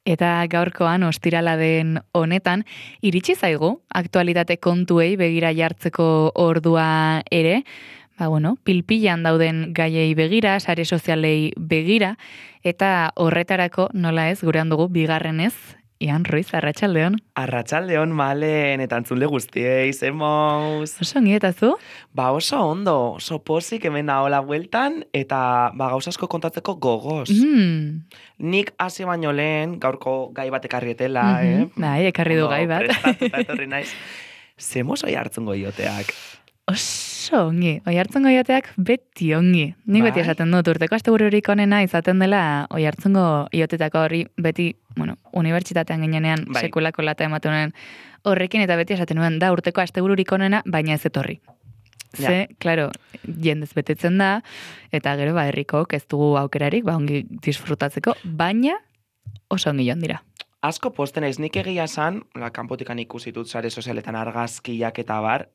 Eta gaurkoan ostirala den honetan, iritsi zaigu aktualitate kontuei begira jartzeko ordua ere, pilpilan dauden gaiei begira, sare sozialei begira, eta horretarako nola ez, gurean dugu bigarrenez, Ian Ruiz, arratsaldeon. Arratsaldeon Malen, eta entzule guztiei, zemoz. Oso ongi eta zu? Oso ondo, oso pozik hemen nahola bueltan, eta gauza asko kontatzeko gogoz. Nik hasi baino lehen, gaurko gai bat ekarrietela, Bai, ekarri du gai bat. Prestatuta etorri naiz. Zemoz oi hartzungo ioteak? Oso ongi, oihartzungo ioteak beti ongi. Nik beti esaten dut, urteko astebururik onena izaten dela oihartzungo iotetako hori beti, unibertsitatean ginenean sekulako lata ematen horrekin, eta beti esaten nuen da urteko astebururik onena, baina ez etorri. Ze, klaro, jendez betetzen da, eta gero herrikok ez dugu aukerarik, ongi disfrutatzeko, baina oso ongi joan dira. Asko posten ez, nik egia esan, kanpotikan ikusitut sare sozialetan argazkiak eta bar,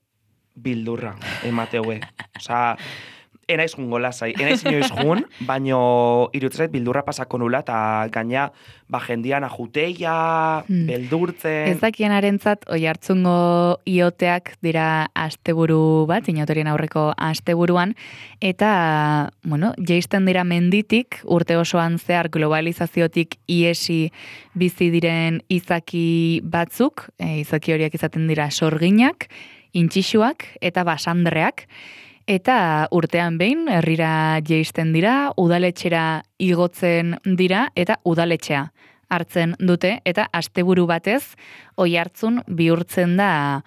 bildurra, emateue. Osa, enaiz jun golasai, enaiz inoiz jun, baino irutzait bildurra pasako nula, eta gaina, jendian ajuteia, beldurtzen. Ez dakien arentzat, oihartzungo ioteak dira asteburu bat, inauterien aurreko asteburuan, eta, jeisten dira menditik, urte osoan zehar globalizaziotik iesi bizi diren izaki batzuk, izaki horiek izaten dira sorginak, intxixuak eta basandreak, eta urtean behin herrira jeisten dira, udaletxera igotzen dira, eta udaletxea hartzen dute, eta asteburu batez oihartzun bihurtzen da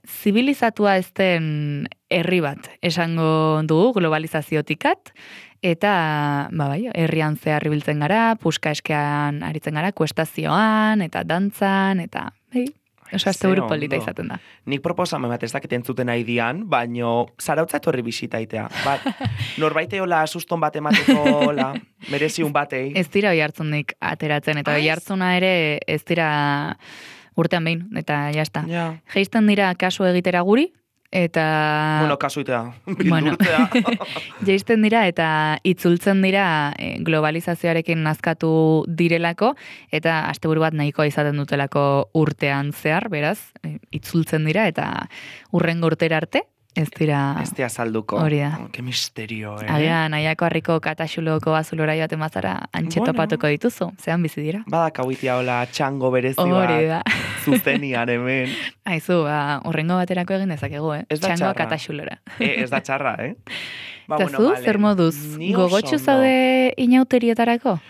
zibilizatua ez den herri bat, esango dugu globalizaziotikat, eta herrian zehar ibiltzen gara, puska eskean aritzen gara, kuestazioan, eta dantzan, eta oso asteburu polita izaten da. Nik proposamen bat ez dakit entzuten aidian, baino zarautza etorri bisitaitea. Norbaite hola suston bat emateko, mereziun batei. Ez dira oihartzunik ateratzen, eta oihartzuna ere ez dira urtean behin, eta jazta. Jeisten dira kasu egitera guri, eta... kasuitea, bildurtzea. Jeisten dira eta itzultzen dira globalizazioarekin nazkatu direlako, eta asteburu bat nahikoa izaten dutelako urtean zehar, beraz, itzultzen dira, eta urrengo urtera arte, ez dira... Ez dira salduko. Hori da. Que misterio, Agian, nahiako harriko kataxuloko azulora joaten bazara antxetopatuko dituzu, zean bizi dira. Badakauitia hola txango berezi bat, zuzenian hemen. Aizu, urrengo baterako egin dezakegu, Txangoa kataxulora. Ez da txarra, Eta zu, zer moduz, gogotxu zaude inauterietarako?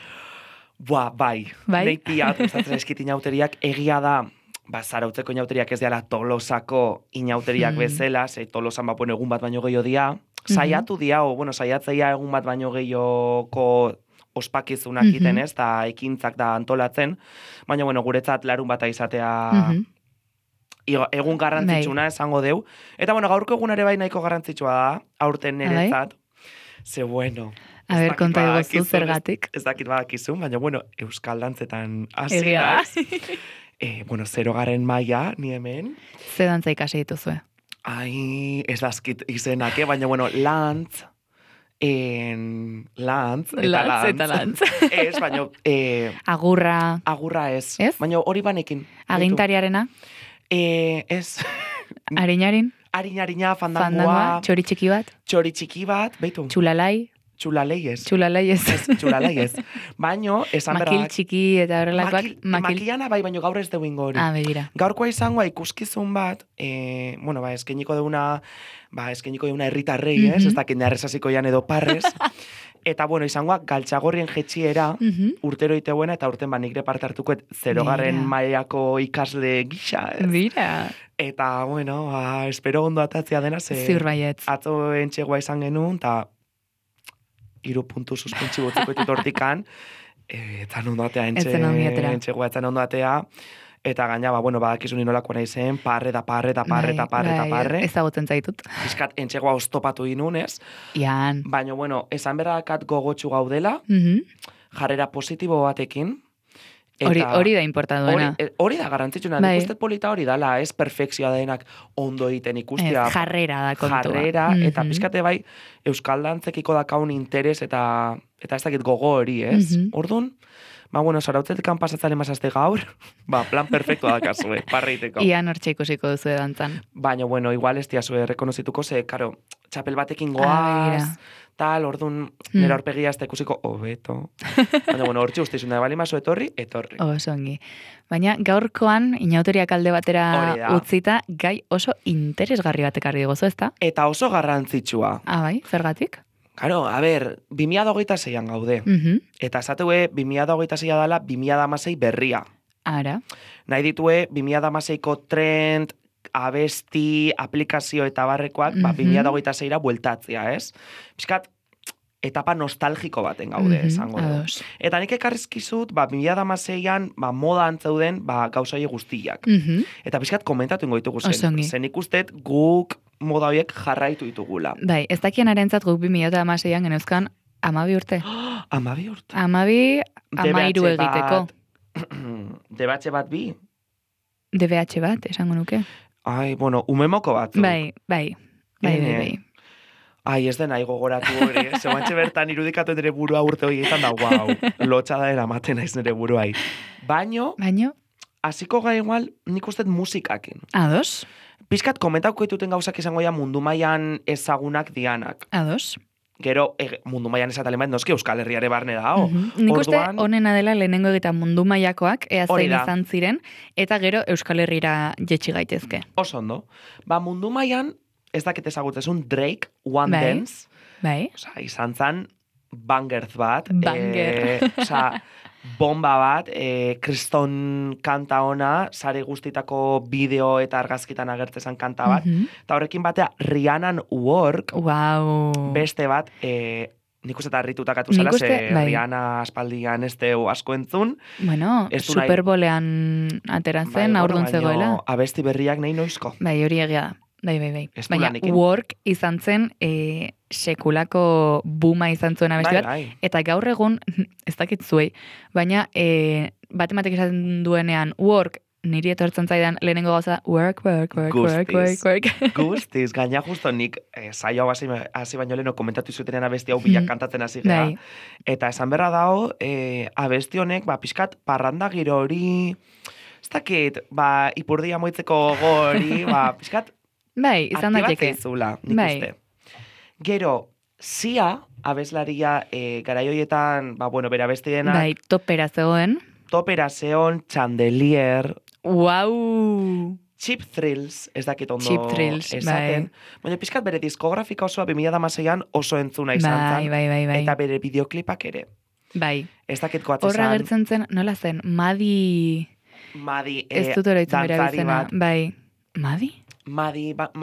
Bai. Nei piat, gustatzen eskit inauteriak, egia da, zarautzeko inauteriak ez diala Tolosako inauteriak bezala, Tolosan egun bat baino gehiago dia, saiatu dia, saiatzeia egun bat baino gehiagoko ospakizunak iten ez, eta ekintzak da antolatzen, baina guretzat larun bata izatea egun garrantzitsuna esango deu, eta gaurko egun ere bai nahiko garrantzitsua da, aurten neretzat, ze A ber, konta egozu zergatik. Ez dakit badakizun, baina euskal dantzetan hasi naiz. 0. maila, ni hemen. Ze dantza ikasi dituzue? Ai, ez dazkit izenak, baina lantz, eta lantz. Ez, baina... Agurra. Agurra ez. Baina hori banekin. Agintariarena? Ez. Harinarin? Harina, fandangoa. Txori txiki bat. Beitu. Txulalai? Txulalei ez. Txulalei ez. Baino, esan berrak... Makil txiki eta horrelakoak. Makilana bai, baino gaur ez duingo hori. Begira. Gaurkoa izangoa ikuskizun bat, eskeniko deuna herritarrei, ez dakit neharrezaziko jan edo parrez, eta izangoa galtxagorrien jetxiera urtero iteuena, eta urten nik parte hartukoet 0. mailako ikasle gisa, ez? Bira. Eta, espero ondo atatzea dena, ziur baietz. Atzo entxegoa izan genuen, eta 3 puntu suspentsi botziko hortikan, etzan ondo atea entxegoa etzan ondo atea, eta gaina, badakizun inolako nahi zen, parre. Ezagutzen zaitut. Piskat entxegoa oztopatu inunez. Ian. Baina, esan berrakat gogotxu gaudela, jarrera positibo batekin, Hori da importaduena. Hori da garantzitsuna, nik uste polita hori dala, ez perfekzioa denak ondo egiten ikustia. Jarrera da kontua. Jarrera, eta pizkate bai, euskal dantzekiko dakaun interes eta ez dakit gogo hori, ez? Orduan, Ba, bueno, Zarautzetekan pasatzale mazazte gaur, plan perfecto da kasue, parreiteko. Ian hortxe ikusiko duzu dantzan. Baina, bueno, igual ez diazue rekonozituko, ze, karo, txapel batekin goaz, tal, orduan, nera horpegia ez da ikusiko, hobeto. Baina, bueno, hortxe ustizun da, bali maso etorri. Oso ongi. Baina, gaurkoan, inauteriak alde batera utzita, gai oso interesgarri batek argi gozo, ezta? Eta oso garrantzitsua. Bai, zergatik? Karo, a ber, 2026an gaude. Eta esatue, 2026a dala 2016 berria. Ara. Nahi ditue, 2016ko trend, abesti, aplikazio eta barrekoak, 2026ra bueltatzea, ez? Piskat, etapa nostalgiko baten gaude, esango du. Eta nik ekarrizkizut, 2016an, modan zeuden, gauzai guztiak. Eta piskat, komentatu ingoitugu zen. Zen ikustet, guk moda horiek jarraitu ditugula. Bai, ez dakien arentzat guk 2016an geneuzkan 12 urte. 12 urte? 12 egiteko. DBH bat bi? DBH bat, esango nuke. Ai, bueno, umemoko bat. Bai. Ai, ez den nahi gogoratu hori, zeuantxe bertan irudikatu nire burua urte horietan da, guau, lotxada eramaten naiz nire buruai. Baino? Hasiko gai igual, nik ustet musikakin. Ados? Piskat komentauko dituten gauzak izango ja mundu mailan ezagunak dianak. Ados? Gero, mundu mailan esatalen bat, noski Euskal Herriare barne dao. Nik uste honena dela lehenengo egita mundu mailakoak, ea zein izan ziren, eta gero Euskal Herrira jetxi gaitezke. Oso ondo. Mundu mailan, ez dakit ezagutzezun Drake, One Dance. Bai. Osa, izan zan, bangerz bat. Banger. Bomba bat, kriston kanta ona, sare guztitako bideo eta argazkitan agertzezan kanta bat. Eta horrekin batea, Rihannan Work, beste bat, nik uste eta harritutakatu zela, ze Rihanna aspaldian ez deu asko entzun. Bueno, Superbolean ateratzen, aurdun zegoela. Abesti berriak nahi noizko. Bai, hori egia da. Bai. Baina Work izan zen sekulako buma izan zuen abesti bat. Eta gaur egun, ez dakit zuei, baina batematik esaten duenean Work, niri etortzen zaidan lehenengo gauza work. Guztiz, gaina justo nik saio hau hasi baino leheno komentatu zutenean abesti hau bilak kantatzen hasi gara. Eta esan berra dago, abesti honek, pixkat parranda giro hori, ez dakit, ipurdia moitzeko gori, pixkat, bai, izan daiteke. Aktibatzea nik uste. Gero, Sia, abeslaria garaioietan, bera bestienak. Bai, topera zegoen. Chandelier. Wow! Cheap Thrills, ez dakit ondo Cheap Thrills, esaten. Baina pixkat bere diskografika osoa 2016an oso entzuna izan zan. Bai. Eta bere videoklipak ere. Bai. Ez dakit koatzen zan. Horra gertzen zen, nola zen, Madi, ez dut oroitzen bere bizena. Bai. Madi?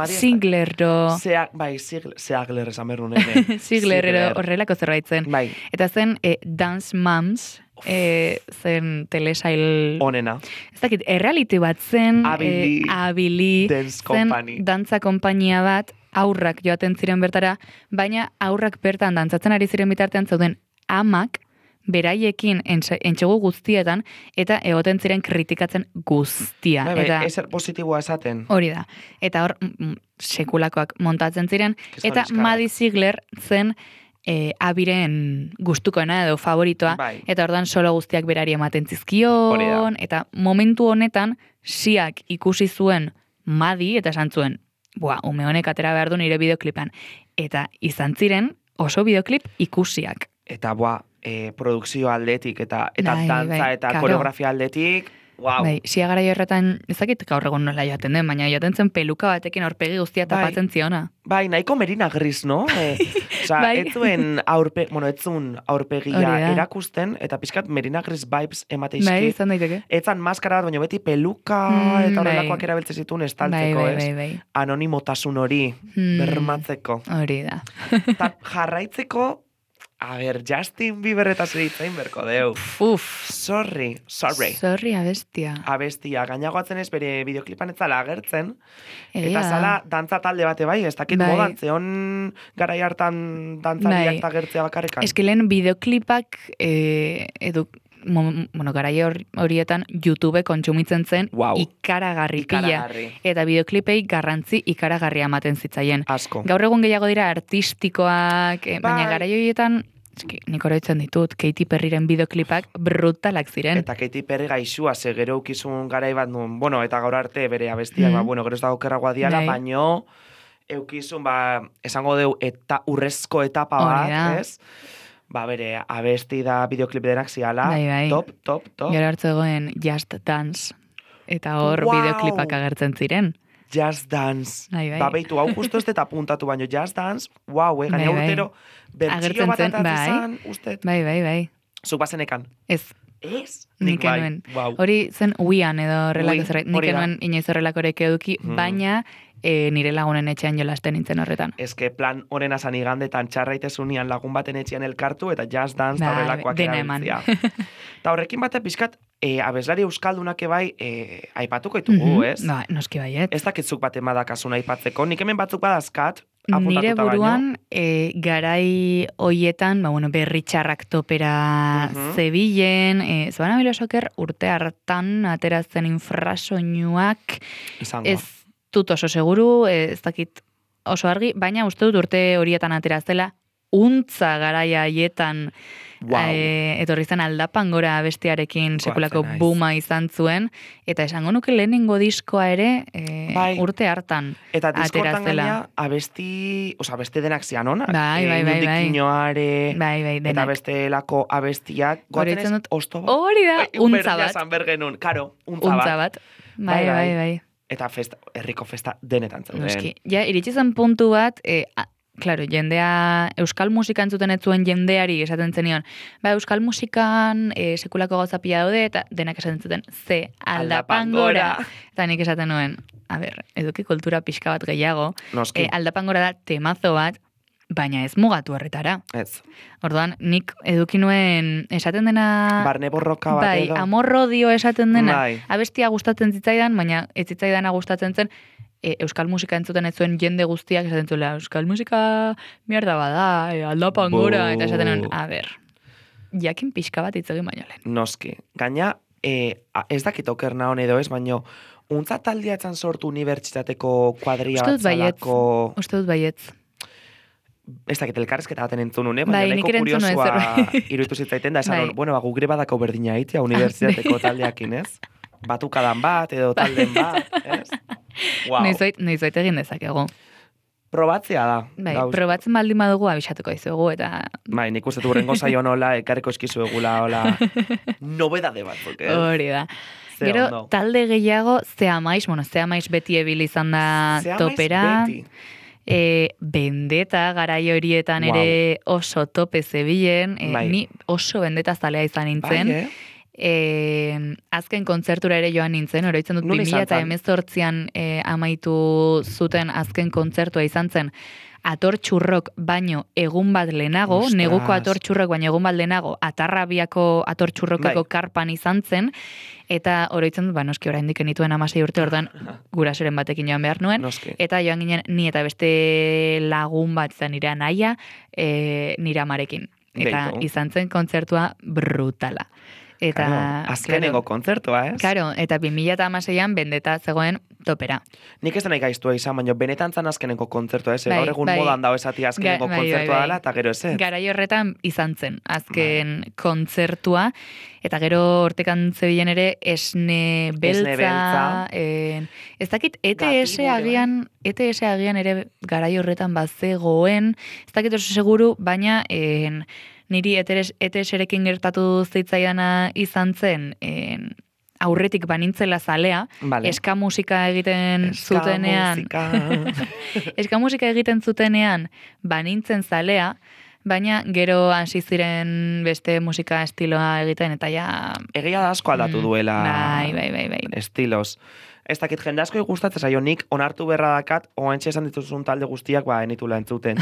Ziglerro. Zigler esan berru nene. Ziglerro horrelako zerbait zen. Bai. Eta zen Dance Moms, zen telesail... Onena. Ez dakit, erreality bat zen, Abili, zen dantza konpainia bat, aurrak joaten ziren bertara, baina aurrak bertan dantzatzen ari ziren bitartean zauden amak, beraiekin entxegu guztietan, eta egoten ziren kritikatzen guztia. Ezer positiboa esaten. Hori da. Eta hor, sekulakoak montatzen ziren, eta Maddie Ziegler zen abiren gustukoena edo favoritoa, eta ordan solo guztiak berari ematen zizkion, eta momentu honetan, Siak ikusi zuen Maddie, eta esan zuen, ume honek atera behar du nire bideoklipan. Eta izan ziren oso bideoklip ikusiak. Eta produkzio aldetik, eta dantza eta koreografia aldetik, wow. Bai, Sia gara horretan, ezakit gaur egun nola joaten den, baina joaten zen peluka batekin aurpegi guztia tapatzen ziona. Bai, nahiko Merina Gris, no? Osa, ez zuen aurpegia erakusten, eta pixkat Merina Gris vibes emateizki. Bai, izan daiteke. Etzan maskara bat, baina beti peluka eta horrelakoak erabiltzen zituen estaltzeko, ez? Bai. Anonimotasun hori, bermatzeko. Hori da. Eta jarraitzeko, a ber, Justin Bieber eta zeritzain berko deu. Sorry. Sorry, abestia. Abestia, gainagoatzen ez bere bideoklipan ez zala agertzen. Eta zala dantza talde bate bai, ez dakit modan, zeon garai hartan dantzariak agertzea bakarrekan. Eskilen bideoklipak garai horietan YouTube kontsumitzen zen ikaragarri pila. Eta bideoklipei garrantzi ikaragarria ematen zitzaien. Asko. Gaur egun gehiago dira artistikoak, baina garai horietan nik oroitzen ditut, Katy Perryren bideoklipak brutalak ziren. Eta Katy Perry gaixua, ze gero eukizun garai bat nun, bueno, eta gaur arte bere abestiak, bueno, gero ez dago kerragoa diala, baino, eukizun, esango deu, eta urrezko etapa bat, ez? Bere, abesti da bideoklip denak ziala, top. Gero hartzu egoen Just Dance, eta hor bideoklipak agertzen ziren. Just Dance. Beitu, hau justo ez deta puntatu baino, Just Dance, gaina urtero, bertxio bat atazizan, uste. Bai. Zuk bazenekan? Ez. Ez? Nik enuen. Hori zen uian edo horrelako zerret. Nik enuen inoiz horrelakorek eduki, baina nire lagunen etxean jolasten nintzen horretan. Ez que plan honen asan igandetan txarraitezunian lagun baten etxean elkartu eta Just Dance eta horrelakoak erabiltzia. Eta horrekin batek pixkat, abeslari euskaldunak ebai aipatuko ditugu, ez? Noski baiet. Ez dakitzuk bat emadakasuna aipatzeko. Nik hemen batzuk badazkat, nire buruan, garai hoietan, berri txarrak topera zebilen, Zabana Bilosoker urte hartan ateratzen infrasoinuak, ez dut oso seguru, ez dakit oso argi, baina uste dut urte horietan ateraztela, untza garaia haietan etorri zen aldapan gora bestiarekin sekulako buma izan zuen, eta esango nuke lehenengo diskoa ere urte hartan ateratzela. Eta diskortan gaina abesti denak zian hona? Nudikinoare, eta bestelako abestiak, goaten ez osto bat? Hori da, untza bat. Karo, untza bat. Bai. Eta herriko festa denetan zauden. Ja, iritsi zen puntu bat, claro, jendea, euskal musika entzuten ez zuen jendeari esaten zenion, euskal musikan sekulako gauzapia daude, eta denak esaten zuten, ze aldapangora. Eta nik esaten nuen, eduki kultura pixka bat gehiago, aldapangora da temazo bat, baina ez mugatu horretara. Ez. Orduan, nik eduki nuen esaten dena... Barne borroka bat edo. Amorrodio esaten dena. Abestia gustatzen zitzaidan, baina ez zitzaidana gustatzen zen, euskal musika entzuten ez zuen jende guztiak esaten zuela, euskal musika mierda bada, aldapangora, eta esaten nuen, jakin pixka bat itzegin baino lehen. Noski. Gaina, ez dakit okerna hon edo ez, baina untza taldiatzen sortu unibertsitateko kuadria batzalako... Uste dut baietz. Ez dakit elkarrezketa baten entzun une, baina nahiko kuriosua iruditu zitzaiten da, esan, gugre badako berdina hitzia unibertsitateko taldeakin, ez? Batukadan bat, edo talden bat, ez? Noizoit egin dezakegu. Probatzea da. Probatzen baldin badugu abisatuko dizuegu, eta... Nik uste du rengo zaio nola, ekarriko eskizu egula, hola, nobedade batzuk, ez? Hori da. Gero, talde gehiago, Zeamaiz beti ebil izan da topera. Bendeta garai horietan ere oso tope zebilen, ni oso bendeta zalea izan nintzen. Azken kontzertura ere joan nintzen, oroitzen dut 2018an amaitu zuten azken kontzertua izan zen Ator Txurrok baino egun bat lehenago, neguko Ator Txurrok baino egun bat lehenago, Atarrabiako Ator Txurrokeko karpan izan zen, eta oroitzen dut, noski oraindik genituen 16 urte, orduan gurasoren batekin joan behar nuen, eta joan ginen ni eta beste lagun bat izan nire anaia, nire amarekin. Eta izan zen kontzertua brutala. Eta azkenengo kontzertua, ez? Claro, eta 2016an bendeta zegoen topera. Nik ez dena ikaiztua izan, baina benetan zan azkenengo kontzertua, ez? Gaur egun modan dao esati azkenengo kontzertua dela, eta gero ez. Garai horretan izan zen, azken kontzertua, eta gero hortekan zebilen ere esne beltza. Ez dakit, ETS agian ere garai horretan bazegoen, ez dakit oso seguru, baina... Niri ETS-erekin gertatu zitzaidana izan zen, aurretik banintzela zalea, eska musika egiten zutenean, eska musika egiten zutenean banintzen zalea, baina gero hasi ziren beste musika estiloa egiten, eta ja... Egia da asko aldatu duela Bai. estilos. Ez dakit jende asko gustatzen zaio, nik onartu berra dakat, oantxe esan dituzun talde guztiak, enitula entzuten.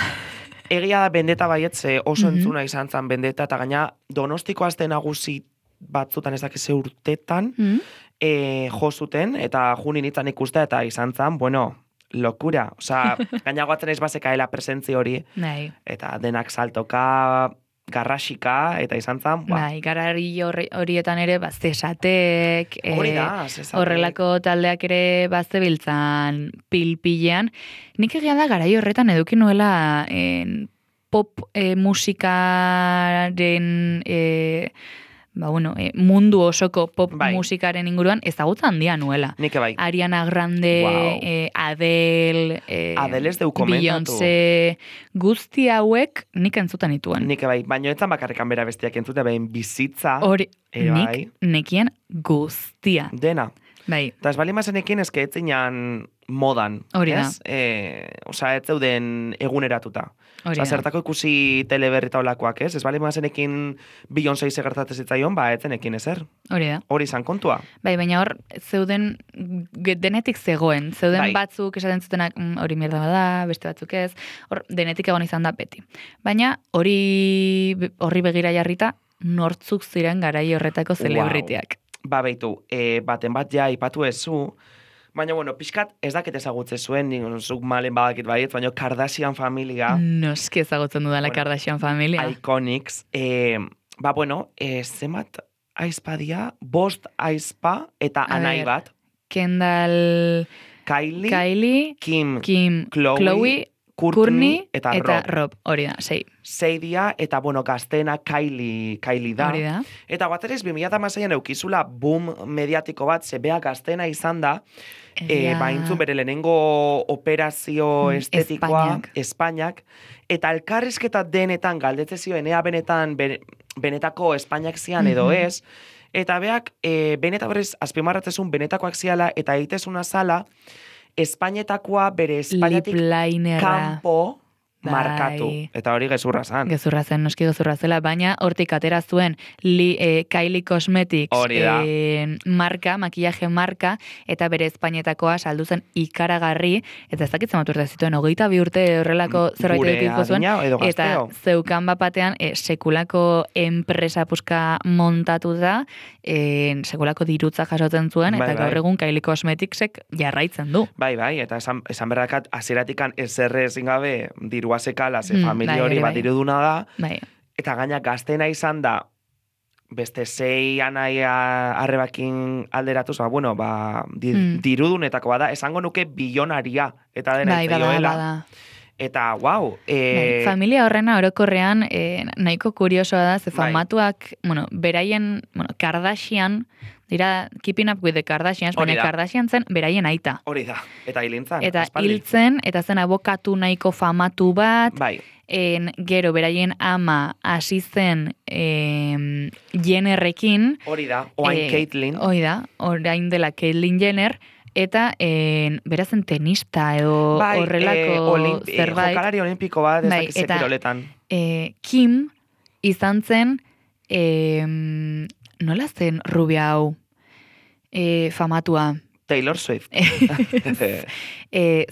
Egia da bendeta baietze oso entzuna izan zen bendeta, eta gaina Donostiko aste nagusi batzutan ez dakize urtetan jo zuten, eta junin itzan ikustea, eta izan zen, lokura. Osa, gaina guatzen ez bazekaela presentzi hori, eta denak saltoka, garrasika, eta izan zen, garari horietan ere, zesatek, horrelako taldeak ere zebiltzan pilpilean. Nik egia da garai horretan eduki nuela pop musikaren mundu osoko pop musikaren inguruan ezagutza handia nuela. Nik bai. Ariana Grande, Adele, Adele ez deu komentatu. Beyoncé, guzti hauek nik entzutan nituen. Nik bai, baina etzan bakarrekan bera bestiak entzute, behin bizitza. Hori, nik nekien guztia. Dena. Bai. Eta ez bali mazenekin eske etzinan modan. Hori da. Osa, ez zeuden eguneratuta. Osa, zertako ikusi teleberrita olakoak, ez? Ez bali mazenekin Beyoncé segertatzen zitzaion, etzenekin ezer. Hori da. Hori izan kontua. Bai, baina hor, zeuden denetik zegoen. Zeuden batzuk esaten zutenak hori mierda bada, beste batzuk ez. Hor, denetik egon izan da beti. Baina horri begira jarrita, nortzuk ziren garai horretako zelebriteak. Beitu, baten bat ja ipatu ezu, baina, pixkat ez dakit ezagutze zuen, zuk malen badakit baiet, baina Kardashian familia. Noski ezagutzen dudala Kardashian familia. Iconics. Zemat aizpadia, 5 aizpa eta anai bat. Kendall, Kylie, Kim, Chloe, Kourtney eta Rob. Hori da, 6. 6 dia, eta, gaztena Kylie da. Hori da. Eta baterez, 2006an eukizula boom mediatiko bat, zebea gaztena izan da, intzun bere lehenengo operazio estetikoa, Espainiak, eta elkarrizketa denetan galdetze zioen, ea benetako Espainiak zian edo ez, eta beak, beneta berez, azpimarratzezun benetakoak ziala, eta egitezuna zala, Espainetakoa bere Espainiatik kanpo markatu. Eta hori gezurra zen. Gezurra zen, noski gezurra zela, baina hortik atera zuen Kylie Cosmetics marka, makillaje marka, eta bere Espainetakoa saldu zen ikaragarri, eta ez dakitzen urte zituen, 22 urte horrelako zerbait edukiko zuen, eta zeukan bapatean sekulako enpresa puska montatu da, sekulako dirutza jasotzen zuen, eta gaur egun Kylie Cosmeticsek jarraitzen du. Bai, eta esan berrakat, azeratikan ezerre ezin gabe dirua sekala, familia hori bat diruduna da, eta gaina gaztena izan da, beste 6 anai arrebakin alderatuz, dirudunetako bada, esango nuke bilionaria, eta dena itzaioela. Eta, familia horrena orokorrean nahiko kuriosoa da, ze famatuak, beraien, Kardashian, dira Keeping Up with the Kardashians, baina Kardashian zen beraien aita. Hori da, eta hilintzan. Eta hiltzen, eta zen abokatu nahiko famatu bat, gero beraien ama hasi zen Jennerrekin. Hori da, oain Caitlyn. Hori da, orain dela Caitlyn Jenner, eta berazen tenista edo horrelako zerbait. Jokalari olimpiko bat, ez dakize kiroletan. Kim izan zen, nola zen rubia hau famatua? Taylor Swift.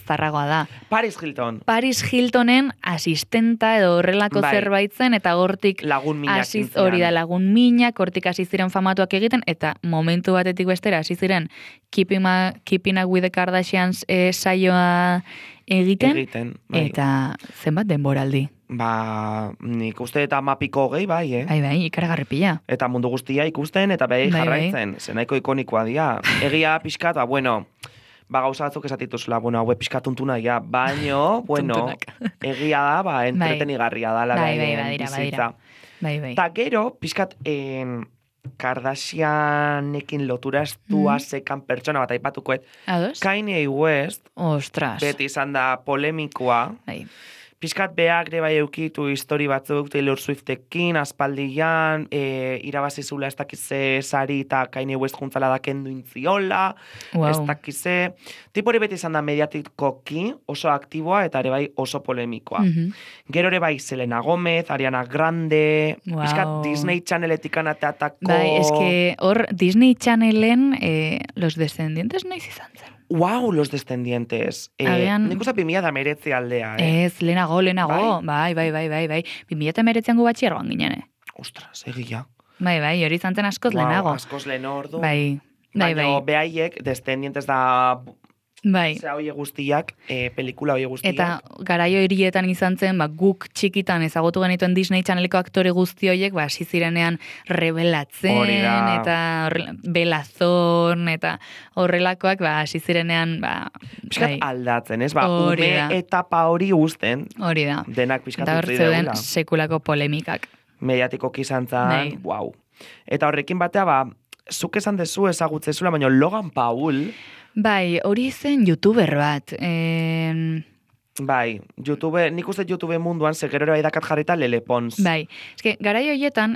Zarragoa da. Paris Hilton. Paris Hiltonen asistenta edo horrelako zerbait zen, eta gortik lagun minak hori da, lagun minak, hortik hasi ziren famatuak egiten, eta momentu batetik bestera hasi ziren Keeping Up with the Kardashians saioa egiten, eta zenbat denboraldi. Nik uste eta mapiko gehi, bai, Bai, ikaragarri pila. Eta mundu guztia ikusten, eta jarraitzen, zenaiko ikonikoa dia. Egia pixkat, gauza batzuk esatituzula, hau pixkat tuntuna, baino, egia da, entretenigarria da, bizitza. Eta gero, pixkat, Kardashianekin lotura estua zekan pertsona bat aipatukoet, Kanye West, beti izan da polemikoa, Piskat beak bai eukitu histori batzuk Taylor Swiftekin, aspaldian, irabazizula ez dakize sari eta Kanye West juntzala da kendu intziola, ez dakize. Tipori beti izan da mediatikoki oso aktiboa eta ere bai oso polemikoa. Gero ere bai Selena Gomez, Ariana Grande, piskat Disney Channeletik anateatako... Bai, eske hor Disney Channelen Los Descendientes noiz izan zen. Los Descendientes. Nik usta 2019 aldea, Ez, lehenago. Bai. 2019an gu batxierroan ginen, Ostras, egia. Bai, hori zantzen askoz lehenago. Askoz lehen ordu. Bai. Baina behaiek, Descendientes da Bai. Zea hoie guztiak, pelikula hoie guztiak. Eta garaio hirietan izan zen, guk txikitan ezagutu genituen Disney Channeleko aktore guzti horiek, hasi zirenean rebelatzen, eta belazon, eta horrelakoak, hasi zirenean, Piskat aldatzen, ez? Ume etapa hori guzten. Hori da. Denak piskat eta utzi deula. Eta sekulako polemikak. Mediatikoki izan zan, wow. Eta horrekin batea, zuk esan dezu ezagutzezula, baina Logan Paul... Bai, hori zen youtuber bat. Bai, nik uste YouTube munduan segerora edakat jarrita Lele Pons. Bai, eske, garai horietan,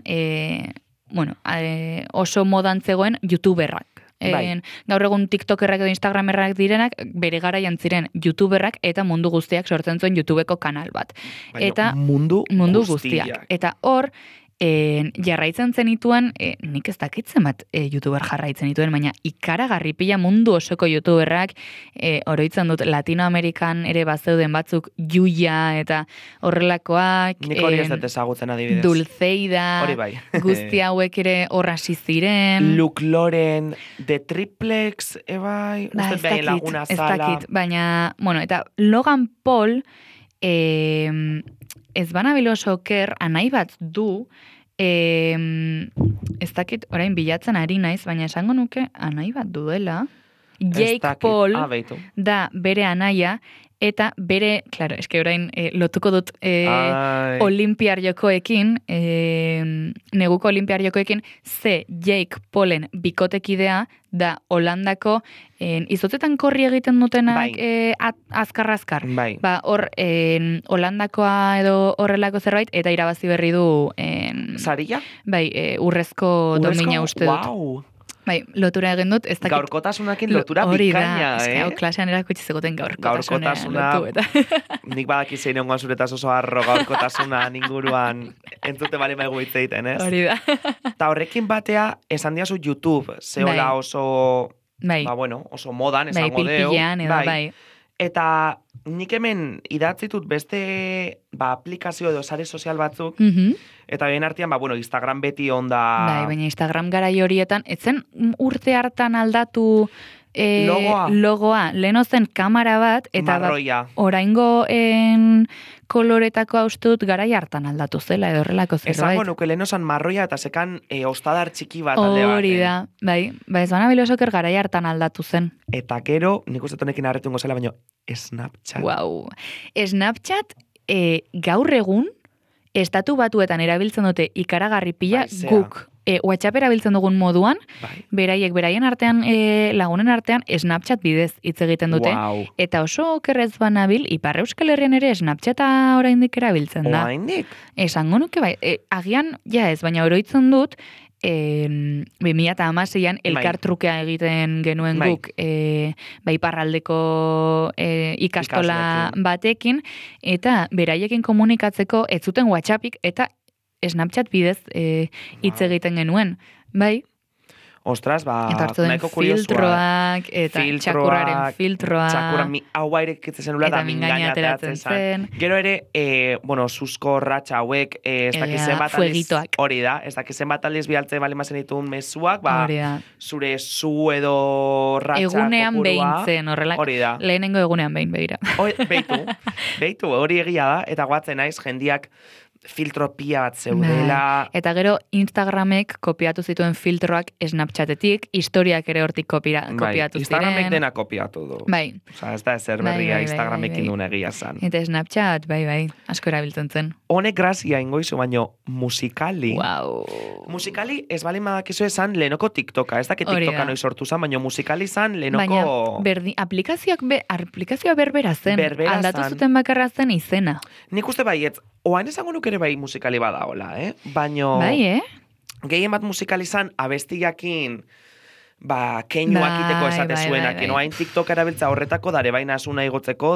oso modan zegoen youtuberrak. Gaur egun TikTokerrak edo Instagramerrak direnak, bere garaian ziren youtuberrak eta mundu guztiak sortzen zuen YouTubeko kanal bat. Baina eta mundu guztiak. Eta hor, jarraitzen zenituen, nik ez dakitzen bat youtuber jarraitzen dituen, baina ikaragarri pila mundu osoko youtuberrak, oroitzen dut Latinoamerikan ere bazeuden batzuk Yuya eta horrelakoak. Nik hori ez dut ezagutzen adibidez. Dulceida, hori bai. Guzti hauek ere horrasi ziren. Luke Loren, The Triplex, bai, uste behin laguna zala. Ez dakit, baina, eta Logan Paul, ez banabil oso oker, anai bat du, ez dakit, orain bilatzen ari naiz, baina esango nuke anai bat duela. Jake Paul da bere anaia, eta bere, klaro, eske orain lotuko dut olimpiar jokoekin, neguko olimpiar jokoekin, Jake Paulen bikotekidea da Holandako izotetan korri egiten dutenak azkar-azkar. Bai. Hor Holandakoa edo horrelako zerbait, eta irabazi berri du Saria? Bai, urrezko domina uste dut. Wow. Bai, lotura egin dut, ez dakit... Gaurkotasunakin lotura bikaina, klasean erakutsi zegoten gaurkotasuna lotu, eta... Nik badaki zein ongoan zuretaz oso arro gaurkotasunan inguruan entzute bali maigu hitzeiten, ez? Hori da. Ta horrekin batea, esan diazu YouTube, zehola oso... oso modan, esango deu. Bai. Eta nik hemen idatzitut beste aplikazio edo sare sozial batzuk, eta bien artean, Instagram beti onda... Bai, baina Instagram garai horietan, etzen urte hartan aldatu logoa. Leheno zen kamera bat, eta oraingo koloretako haustut garai hartan aldatu zela, edo horrelako zerbait. Esango nuke leheno zen marroia, eta sekan ostadar txiki bat alde bat. Hori da, bai, ez bana bilosoker garai hartan aldatu zen. Eta gero, nik uste tonekin arretungo zela, baina Snapchat. Wow. Snapchat, gaur egun, estatu batuetan erabiltzen dute ikaragarri pila, guk WhatsApp erabiltzen dugun moduan, beraien artean, lagunen artean, Snapchat bidez hitz egiten dute. Eta oso okerrez banabil, Ipar Euskal Herrian ere Snapchata oraindik erabiltzen da. Oraindik? Esango nuke bai, agian, ez, baina oroitzen dut, 2016an elkartrukea egiten genuen guk iparraldeko ikastola batekin, eta beraiekin komunikatzeko ez zuten WhatsAppik eta Snapchat bidez hitz egiten genuen. Bai? Ostras, nahiko kuriosua. Filtroak, eta txakurraren filtroa. Txakurra, hau bairekitzen zenula, da mingaina ateratzen zen. Gero ere, susko ratxa hauek, ez dakizen bat aldiz, hori da, ez dakizen bat aldiz bialtzen bali mazen ditun mezuak, zure zu edo ratxa kopurua. Egunean behintzen, horrela, lehenengo egunean behin behira. Beitu, hori egia da, eta guatzen naiz, jendiak filtro pia bat zeudela. Eta gero Instagramek kopiatu zituen filtroak Snapchatetik, historiak ere hortik kopiatu ziren. Instagramek dena kopiatu du. Bai. Osa, ez da ezer berria Instagramekin duen egia zan. Eta Snapchat, bai, asko erabiltzen zen. Honek grazia ingoizu, baino Musical.ly. Wow. Musical.ly ez bali madakizu esan lehenoko TikToka. Ez dakit TikToka noiz sortu zan, baino Musical.ly zan lehenoko... Baina, aplikazioa berbera zen. Aldatu zuten bakarra zen izena. Nik uste baietz, oain esango nuke ere bai Musical.ly badaola, Baino... Bai, Gehien bat Musical.ly zan abestiakin keinuak iteko esate zuenak. Oain TikTok erabiltza horretako dare baina asuna igotzeko,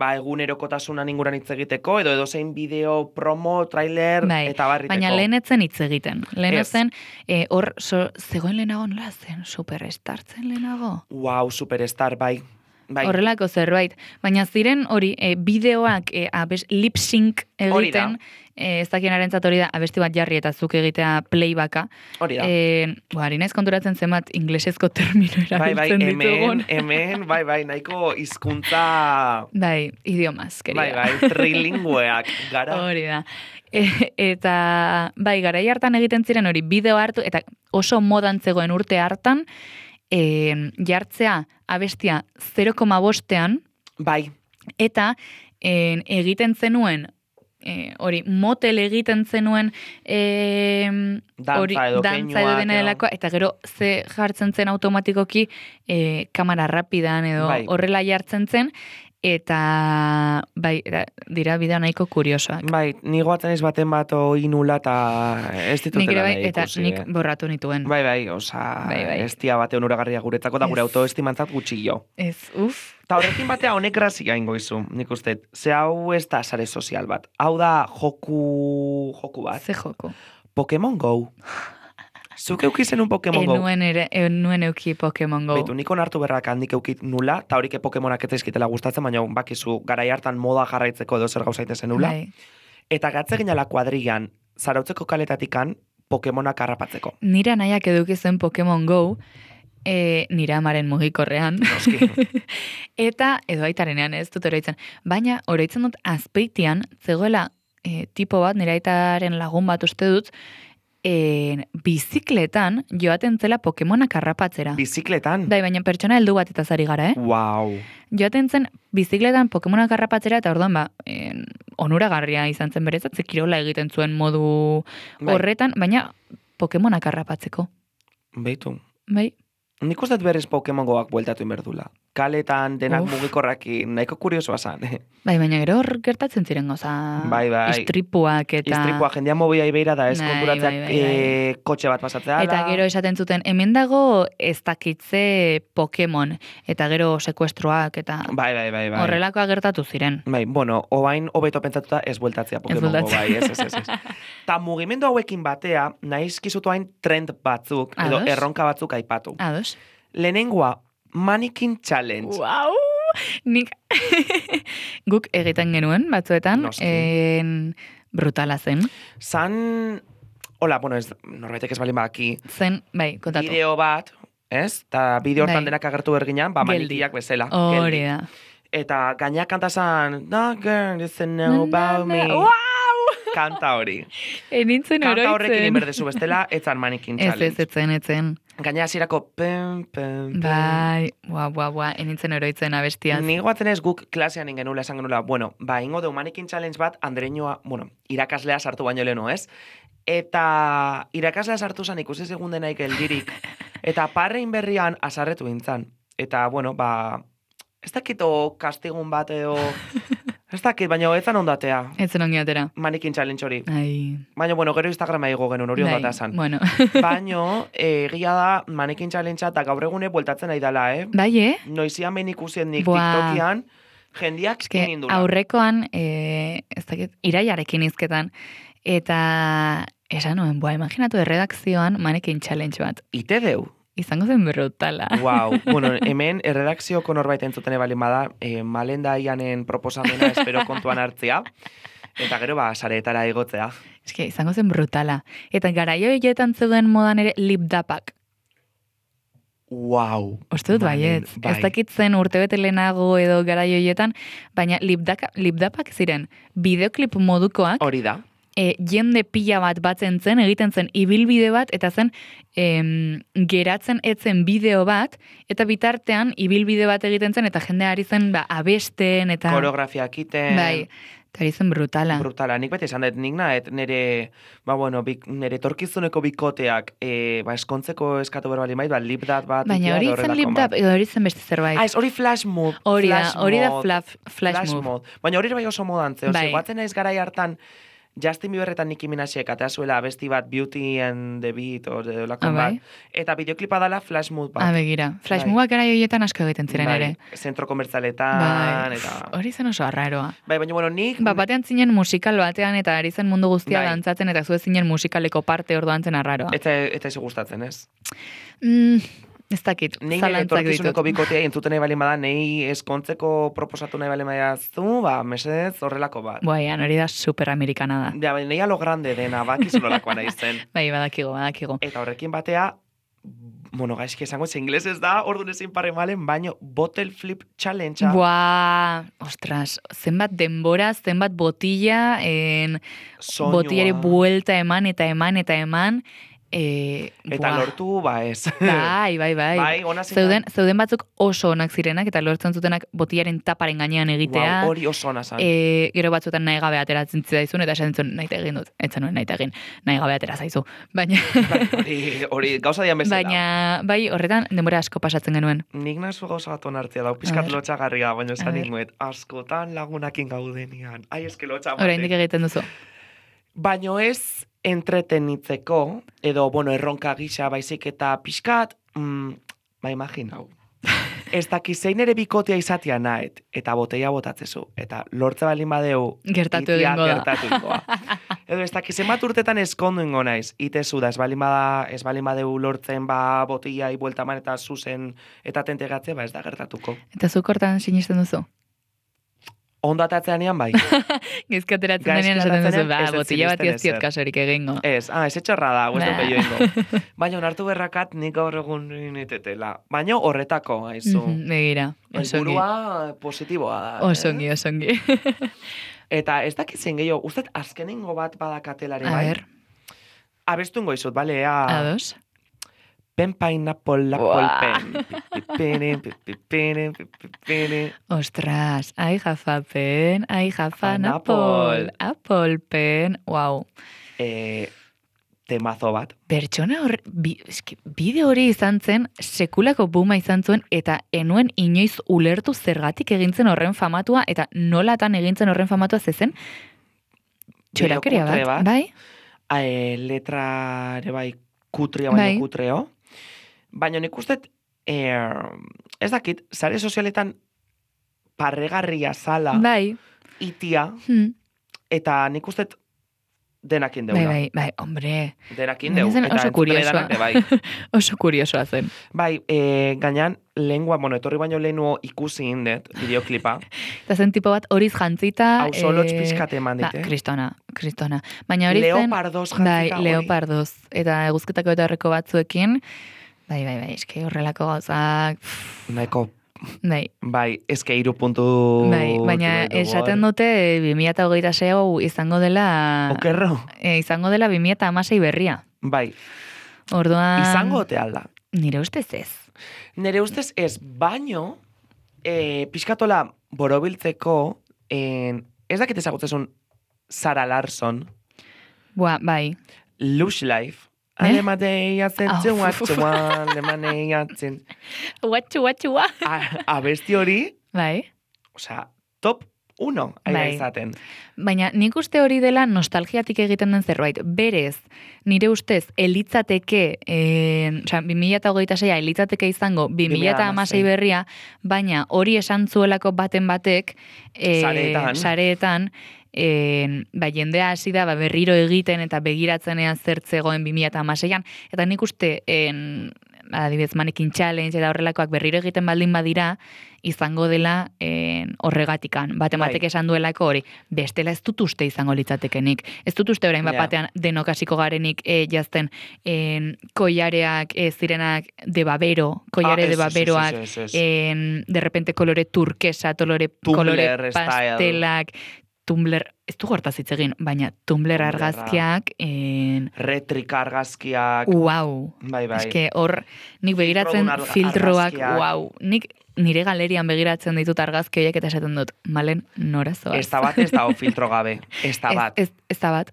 egunerokotasunan inguran hitz egiteko, edo zein bideo, promo, trailer, eta barriteko. Baina lehen etzen hitz egiten. Lehen etzen, zegoen lehenago nola zen? Superstar zen lehenago? Wow, Superstar, bai. horrelako zerbait. Baina ziren hori, bideoak lip-sync egiten, ez dakien hori da, abesti bat jarri eta zuk egitea playbacka. Hori da. Ari naiz konturatzen zenbat inglesezko termino erabiltzen ditugun. Hemen, nahiko hizkuntza... Idiomaz, keria. Trilingueak gara. Hori da. Eta, garai hartan egiten ziren hori, bideo hartu, eta oso modan zegoen urte hartan, jartzea abestia 0,5ean, eta egiten zenuen, hori, motel egiten zenuen dantza edo delakoa, eta gero ze jartzen zen automatikoki kamera rapidan edo horrela jartzen zen, eta dira bideo nahiko kuriosoak. Ni goatzen ez baten bat inula eta ez ditutela nahi ikusi. Eta nik borratu nituen. Ez dia bate onuragarria guretzako da gure autoestimantzat gutxillo. Eta horrekin batea honek grazia ingo izu, nik uste. Ze hau ez da sare sozial bat. Hau da joku bat. Ze joku? Pokemon Go. Zuk eukizen un Pokemon Go? Nuen euki Pokemon Go. Beitu, nik onartu berrak handik eukit nula, eta horik Pokemonak ez ezkitela gustatzen, baina bakizu garai hartan moda jarraitzeko edo zer gauzaite zenula. Eta gatze ginala kuadrian, zarautzeko kaletatikan, Pokemonak harrapatzeko. Nira nahiak edukizen Pokemon Go, nira amaren mugikorrean. Eta, edo aitarenean ez dut oroitzen. Baina, oroitzen dut azpeitian, zegoela tipo bat, nira aitaren lagun bat uste dut, bizikletan joaten zela Pokemonak harrapatzera. Bizikletan? Baina pertsona heldu bat eta zari gara, Wow. Joaten zen bizikletan Pokemonak harrapatzera eta orduan onuragarria izan zen berezat, kirola egiten zuen modu horretan, baina Pokemonak harrapatzeko. Beitu. Nik uste berriz Pokemon Goak bueltatu inberdula. Kaletan denak mugikorrakin nahiko kuriosoa zan. Baina gero hor gertatzen ziren goza. Istripuak eta... Istripuak jendean mobia ibeira da, ez konturatzeak kotxe bat pasatzea. Eta gero esaten zuten, hemen dago ez dakitze Pokemon. Eta gero sekuestroak eta... Horrelakoa gertatu ziren. Obain hobeto pentsatuta ez bueltatzea Pokemon Go, ez. Ta mugimendu hauekin batea, nahiz kizutu hain trend batzuk, edo erronka batzuk aipatu. Ados. Lehenengoa, Mannequin Challenge. Wow! Nik guk egiten genuen batzuetan, brutala zen. Norbaitek ez balin baki. Zen, kontatu. Bideo bat, ez? Ta bideo hortan denak agertu berginan, manikiak bezala. Hori da. Eta gainak kanta zan, no girl, doesn't know about me. Wow! Kanta hori. Enintzen oroitzen. Kanta horrekin inberdezu bestela, etzan Mannequin Challenge. Etzen. Gaina hasierako pem. Enintzen oroitzen abestiaz. Ni goatzen ez guk klasean ingenula, esan genula, ingo deu Mannequin Challenge bat, Andreñoa, irakaslea sartu baino leheno, ez? Eta irakaslea sartu zan ikusi segundenaik eldirik. Eta parrein berrian asarretu gintzan. Eta, ez dakito kastigun bat edo... Ez dakit, baina etzan ondatea. Etzen ongi atera. Mannequin Challenge hori. Baina, gero Instagrama igo genuen hori ondatea zan. Baina, egia da Mannequin Challenge eta gaur egune bueltatzen nahi dela, Noizian behin ikusien nik TikTokian, jendiak inindula. Aurrekoan, ez dakit, iraiarekin izketan. Eta, esan nuen, imaginatu erredakzioan Mannequin Challenge bat. Ite deu. Izango zen brutala. Wow. Hemen erredakzioko norbait entzuten ebalin bada, Malenda Ianen proposamena espero kontuan hartzea, eta gero sareetara egotzea. Izango zen brutala. Eta garaio hiletan zeuden modan ere lipdapak. Wow. Uste dut baiet. Ez dakitzen urtebete lehenago edo garaio hiletan, baina lipdapak ziren bideoklip modukoak. Hori da. Jende pila bat batzen zen, egiten zen ibilbide bat, eta zen geratzen etzen bideo bat, eta bitartean ibilbide bat egiten zen, eta jende ari zen abesten, eta... Koreografiak iten... eta ari zen brutala. Brutala, nik beti esan dut, nik nahet nire torkizuneko bikoteak eskontzeko eskatu berbali maiz, lipdat bat... Baina hori zen lipdat, edo hori zen beste zerbait. Hori flash move. Hori da flash move. Baina hori bai oso modantze, guatzen naiz garai hartan, Justin Bieber eta Nicki Minajek atea zuela abesti bat Beauty and the Beat bat, eta bideoklipa dala Flash Mood bat. Begira, Flash Moodak gara joietan asko egiten ziren ere. Zentro komertzaletan, eta... Hori zen oso arraroa. Baina nik... Batean zinen musikal batean, eta ari zen mundu guztia dantzatzen, eta zuen zinen musikaleko parte orduan zen arraroa. Eta izu gustatzen, ez? Ez dakit, Nei zalantzak ditut. etorkizuneko bikotea entzuten nahi balin bada, nei eskontzeko proposatu nahi balin badazu, mesedez horrelako bat. Boian, hori da superamerikana da. Ja, nei a lo grande dena, bakizu nolakoa nahi zen. Bai, badakigo. Eta horrekin batea, gaizki esango, ingeles ez da, orduan ezin pare malen, baino bottle flip challenge. Buah, ostras, zenbat denbora, zenbat botilla, botillari buelta eman, eta lortu, ez. Bai. Bai, ona ziren. Zeuden batzuk oso onak zirenak, eta lortzen zutenak botillaren taparen gainean egitea. Hori oso ona zan. Gero batzuetan nahi gabe ateratzen zitzaizun, eta esan zuen nahi egin dut. Etzen nuen nahi egin, nahi gabe atera zaizu. Baina... hori gauza dian bezala. Baina, bai, horretan denbora asko pasatzen genuen. Nik nazu gauza bat onartzea dau, pizkat lotxagarria, baina esan inguet, askotan lagunakin gaudenian. Ai, eske lotxa batek. Oraindik egiten duzu. Baino ez entretenitzeko, edo, erronka gisa baizik eta pixkat, imaginau. Ez daki zein ere bikotea izatea nahet, eta boteia botatzezu, eta lortze balin badeu, gertatu ingoa. Edo ez daki zenbat urtetan eskondu ingo naiz, itezu da, ez balin badeu lortzen boteia ibueltaman eta zuzen eta tentegatze, ez da gertatuko. Eta zuk hortan sinisten duzu? Ondo atatzean ean bai. Gizki ateratzen denean esaten duzu, botilla bat ez kasorik egingo. Ez etxorra da, ez dut ingo. Baina onartu berrakat nik gaur egun nitetela. Baina horretako, haizu. Begira, osongi. Elburua positiboa da. Osongi. Eta ez dakitzen gehiago, uste azkenengo bat badakatelari bai? A ber. Abestu ingo izut, bale? Ados. Pen pineapple pen. Ostras, I have a pen, I have an apple. Apple pen, wow. Temazo bat. Pertsona bide hori izan zen, sekulako buma izan zuen, eta enuen inoiz ulertu zergatik egintzen horren famatua, eta nolatan egintzen horren famatua zezen, txorakeria bat, bai? Letra ere bai kutria baina kutreo. Baina nik uste, ez dakit, sare sozialetan parregarria zala, itia, eta nik uste denakin deula. Bai, hombre. Denakin deu. Oso kuriosoa. Oso kuriosoa zen. Bai, gainan, lengua, etorri baino lehenuo ikusi indet, bideoklipa. Eta zen tipo bat horiz jantzita. Hau solotx pizkate eman dit, Kristona. Baina hori zen... Leopardoz jantzita hori. Leopardoz. Eta eguzketako eta horreko batzuekin, bai, eske horrelako gauzak... Naiko. Bai, eske 3 puntu... baina esaten dute 2026 izango dela... Okerro. Izango dela 2016 berria. Bai. Orduan... Izango te alda. Nire ustez ez. Nire ustez ez, baino, pixkatola borobiltzeko, ez dakit ezagutzezun Sarah Larson. Bai. Lush Life. Alemadei atzen, alemadei atzen. Watxua. Abesti hori, bai. Osea, top 1 aira izaten. Baina nik uste hori dela nostalgiatik egiten den zerbait. Berez, nire ustez, elitzateke, 2026 elitzateke izango 2016 berria, baina hori esan zuelako baten batek, sareetan, jendea hasi da berriro egiten eta begiratzenean zertzegoen 2016an, eta nik uste adibidez Mannequin Challenge eta horrelakoak berriro egiten baldin badira, izango dela horregatikan. Batek esan duelako hori, bestela ez dut uste izango litzatekenik. Ez dut uste orain batean denok hasiko garenik jazten koilareak zirenak de babero, koilare de baberoak, de repente kolore turkesa, kolore pastelak, Tumblr, ez du gortaz hitz egin, baina Tumblr argazkiak... Retrika argazkiak... Wow. Bai. Eske hor, nik begiratzen filtroak, wow. Nik nire galerian begiratzen ditut argazki horiek eta esaten dut, malen norazoaz. Ez da bat, ez da filtro gabe. Ez da bat. Ez da bat.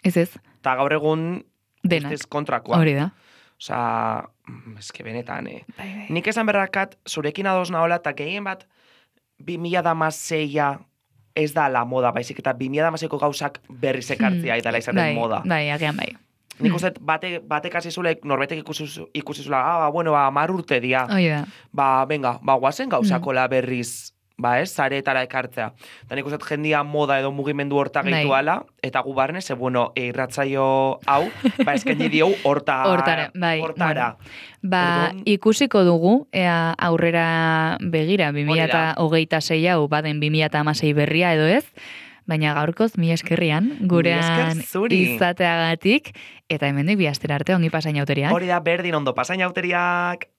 Ez. Ta gaur egun... Denak. Ez kontrakoa. Hori da. Osa, eske benetan, Bai. Nik esan berrakat, zurekin ados nahola, eta gehien bat, 2016a ez da la moda, baizik eta 2016ko gauzak berriz ekartzia eta izaten moda. Bai, agian bai. Nik uste, batek hasi zule, norbetek ikusi zula, 10 urte dia. Oida. Venga, guazen gauzakola berriz zaretara ekartzea. Da nik uste jendia moda edo mugimendu horta gehitu ala, eta gu barne, irratzaio hau, eskaini diegu hortara. Ikusiko dugu, aurrera begira, 2026 hau, baden 2016 berria edo ez, baina gaurkoz, mi eskerrian, gurean izateagatik, eta hemendik bi astera arte ongi pasainauteriak. Hori da, berdin ondo pasainauteriak.